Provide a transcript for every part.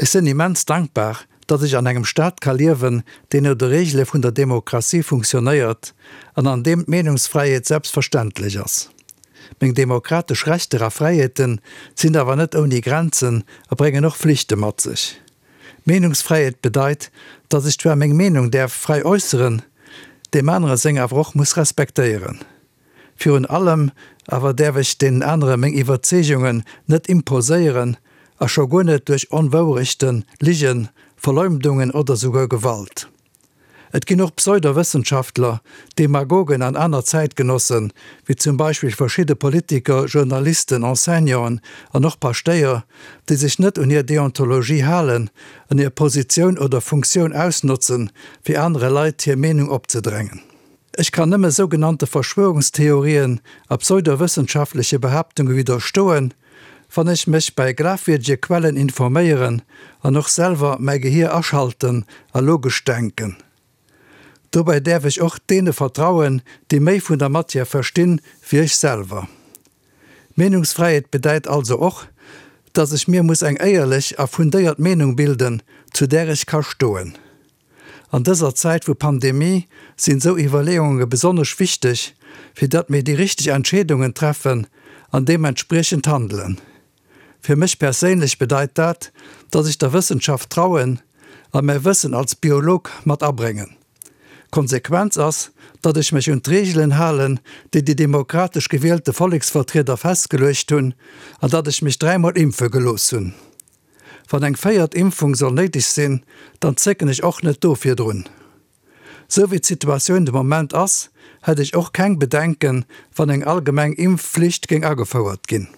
Ech sinn immens dankbar, datt ech an engem Staat ka liewen, deen no de Reegele vun der Demokratie funktionéiert an an deem d'Meenungsfräiheet selbstverständlech ass. Meng demokratesch Rechter a Fräiheete sinn awer net ouni Grenzen a bréngen och Flichte mat sech. Meenungsfräiheet bedeit, datt ech zwar meng Meenung däerf fräi äusseren, deem anere seng awer och muss respektéieren. Virun allem awer däerf ech deenen anere meng Iwwerzeegungen net imposéieren a scho guer net duerch Onwourechten, Ligen, Verleumdungen oder souguer Gewalt. Et ginn och Pseudowëssenschaftler, Demagogen an aner Zäitgenossen, wéi zum Beispill verschidde Politiker, Journalisten, Enseignanten an och Paschtéier, déi sech net un hir Deontologie halen an hir Positioun oder Funktioun ausnotzen, fir anere Leit hir Meenung opzedrängen. Ech kann nëmme sougenannte Verschwörungstheorien a pseudowëssenschaftleche Behaaptunge widderstoen, wann ech mech bei glafwierdege Quellen informéieren an och selwer mäi Gehier aschalten a logesch denken. Dobäi däerf ech och deene vertrauen, déi méi vun der Matière verstinn, wéi ech selwer. Meenungsfräiheet bedäit also och, dass ech mir muss eng éierlech a fundéiert Meenung bilden, zu där ech ka stoen. An dëser Zäit vu Pandemie sinn esou Iwwerleeunge besonnesch wichteg, fir datt mir déi richteg Entscheedungen treffen an deementspriechend handelen. Fir mech perséinlech bedeit dat, datt ech der Wëssenschaft trauen a mäi Wëssen als Biolog mat abréngen. D'Konsequenz ass, datt ech mech un d'Reegelen halen, déi déi demokratesch gewielte Volleksvertrieder festgeluecht hunn, an datt ech mech dräimol impfe gelooss hunn. Wann eng véiert Impfung soll néideg sinn, dann zécken ech och net do virdrun. Sou wéi d'Situatioun de Moment ass, hätt ech och keng Bedenken, wann eng allgemeng Impfflicht géing agefouert ginn.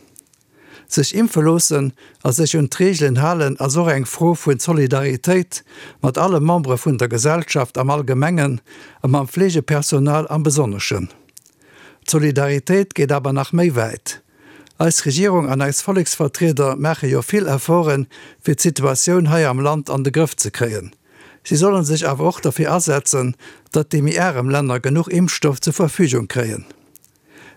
Sech impfe loossen a sech un d'Reegelen halen ass och eng Fro vun Solidaritéit mat alle Membere vun der Gesellschaft am Allgemengen a mam Fleegepersonal am Besonneschen. D'Solidaritéit geet awer nach méi wäit. Eis Regierung an eis Volleksvertrieder maache jo vill Efforten, fir d'Situatioun hei am Land an de Grëff ze kréien. Si solle sech awer och derfir asetzen, datt déi méi arem Länner genuch Impfstoff zur Verfügung kréien.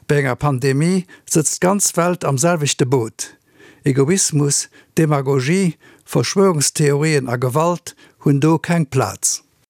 Bei enger Pandemie sëtzt d'ganz Welt am selwechte Boot. Egoismus, Demagogie, Verschwörungstheorien a Gewalt hunn do keng Plaz.